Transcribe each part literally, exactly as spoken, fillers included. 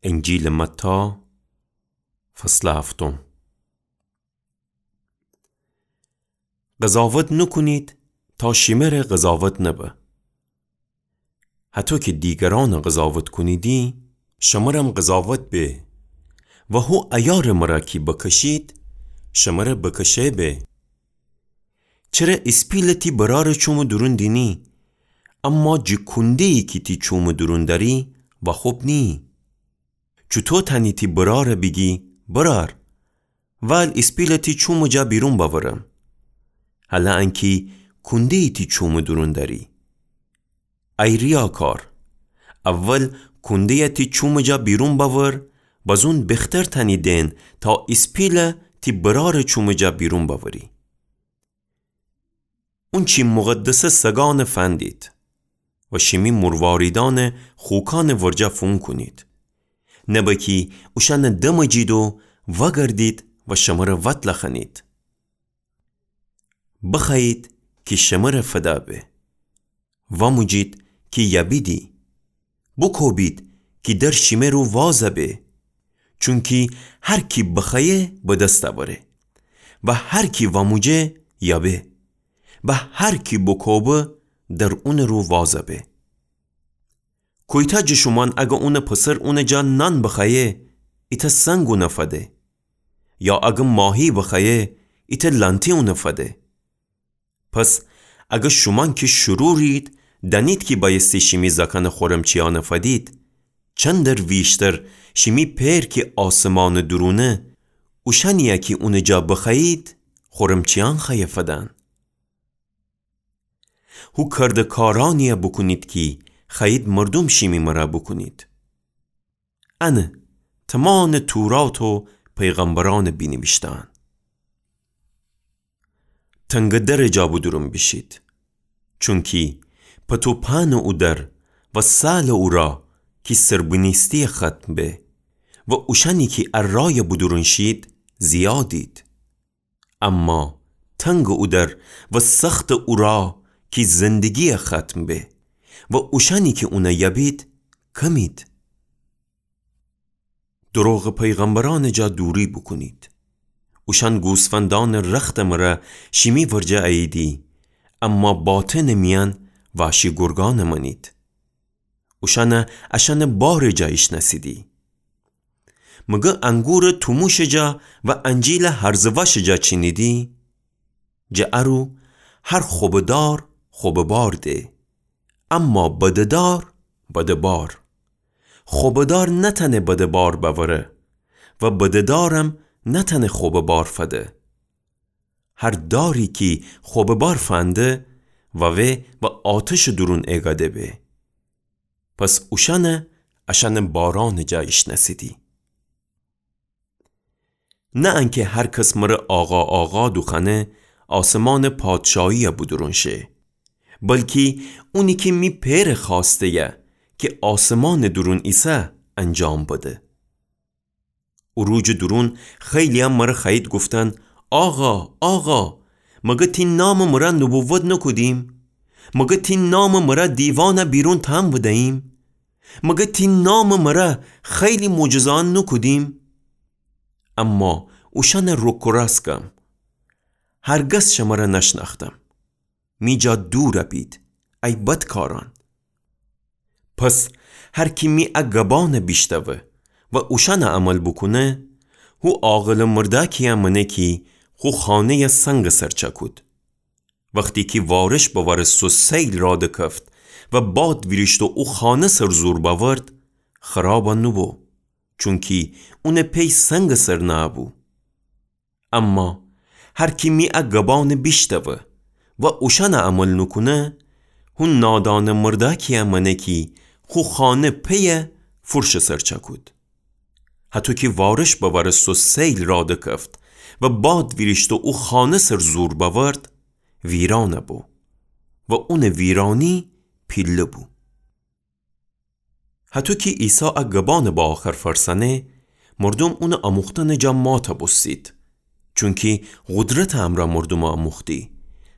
انجیلٚ متی، فصلٚ هفتم. قضاوت نوکونید تا شیمره قضاوت نبه. هطو کی دیگرأنه قضاوت کونیدی، شمرم قضاوت به و هو عیارٚ مره کی بکشید، شمره بکشه به. چره ایسپیله تی برارٚ چومٚ دورون دینی، اما جٚه کونده‌یی کی تی چومٚ دورون دأری واخوب نییی؟ چوطو تأنی تی براره بیگی برار، وال ایسپیله تی چومٚ جا بیرون بأورم، هلأنکی کونده‌یی تی چومٚ دورون دأری؟ ای ریاکار، اول کونده‌یه تی چومٚ جا بیرون بأور، بازون بیختر تأنی دئن تا ایسپیله تی برارٚ چومٚ جا بیرون بأوری. اونچی مقدسه سگأنه فندید و شیمی مرواریدأنه خوکأنٚ ورجه فون کونید، نبه کی اوشأنه دمجید و وأگردید و شمره وتله خنید. بخوأیید کی شمره فده به، وأموجید کی یبیدی، بوکوبید کی در شیمه رو وازه به. چونکی هر کی بخوأیه به دس اوره و هر کی وأموجه یبه و هر کی بوکوبه در اونٚ رو وازه به. کویتأ جٚه شومأن اگر اونٚ پسر اونٚ جا نان بخوأیه، ایتأ سنگ اونه فده؟ یا اگر ماهی بخوأیه، ایتأ لأنتی اونه فده؟ پس اگر شومأن کی شرورید، دأنید کی بأیستی شیمی زأکأنٚ خورمچیأنه فدید، چندر ویشتر شیمی پئر کی آسمانٚ دورونه، اوشأنیی کی اونٚ جا بخوأیید، خورمچیأن خوأیه فدن. هو کردکارأنیی بوکونید کی خوأیید مردوم شیمی مره بوکونید. انه تومانٚ تورات و پیغمبرأنٚ بینیویشته‌أن. تنگٚ درٚ جا بودورون بیشید، چونکی پتوپأنٚ او در و سالٚ او راه کی سربنیسته‌یی ختم به و اوشأنی کی ا رایَ بودورون شید زیادید. اما تنگٚ او در و سختٚ او راه کی زندگی‌یَ ختم به و اوشأنی کی اونَ یبید کمید. دروغٚ پیغمبرأنٚ جا دوری بوکونید. اوشأن گوسفندأنٚ رختٚ مره شیمی ورجه اییدی، اما باطنٚ میأن وحشی گرگأنٚ مأنید. اوشأنَ اشأنٚ بارٚ جا ایشنأسیدی. مگر انگورٚ توموشٚ جا و انجیلٚ هرزٚ وأشٚ جا چینیدی؟ جٚه ا رو هر خوبٚ دار خوبٚ بار ده، اما بدٚ دار بدٚ بار. خوبٚ دار نتأنه بدٚ بار بأوره و بدٚ دارم نتأنه خوبٚ بار فده. هر داری کی خوبٚ بار فنده، وأوه و آتشٚ دورون ایگده به. پس اوشأنَ اشأنٚ بارأنٚ جا ایشنأسیدی. نه انکی هر کس مره آقا، آقا دوخوأنه، آسمانٚ پادشاهی‌یَ بودورون شه، بلکی اونی کی می پئرٚ خوأسته‌یَ کی آسمانٚ دورون ایسه انجام بده. او روجٚ دورون خیلی‌یأن مره خوأیید گفتن: آقا، آقا، مگر تی نامٚ مره نبوت نوکودیم؟ مگر تی نامٚ مره دیوانَ بیرون تأن بدییم؟ مگر تی نامٚ مره خیلی معجزه‌یأن نوکودیم؟ اما اوشأنَ روکرأس گم: هرگز شمره نشنأختم. می جا دورَ بید، ای بدکارأن. پس هر کی می ا گبأنَ بیشتأوه و اوشأنَ عمل بوکونه، هو عاقلٚ مردأکی‌یَ مأنه کی خو خانه‌یَ سنگٚ سر چأکود. وختی کی وارش بوأرست و سیل راه دکفت و باد ویریشت و او خانه سر زور بأورد، خرابَ نوبو، چونکی اونٚ پی سنگٚ سر نه‌بو. اما هر کی می ا گبأنَ بیشتأوه و اوشأنَ عمل نوکونه، هو نادانٚ مردأکی‌یَ مأنه کی خو خانه پیَ فرشٚ سر چأکود. هطو کی وارش بوأرست و سیل راه دکفت و باد ویریشت و او خانه سر زور بأورد، ویرانَ بو و اونٚ ویرانی پیله بو. هطو کی عیسی ا گبأنَ به آخر فرسأنه، مردوم اونٚ آموختنٚ جا ماتَ بوستید، چونکی قدرتٚ امرأ مردومَ آموختی،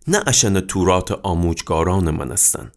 نه اشأنَ توراتٚ آموجگارأنٚ مأنستن.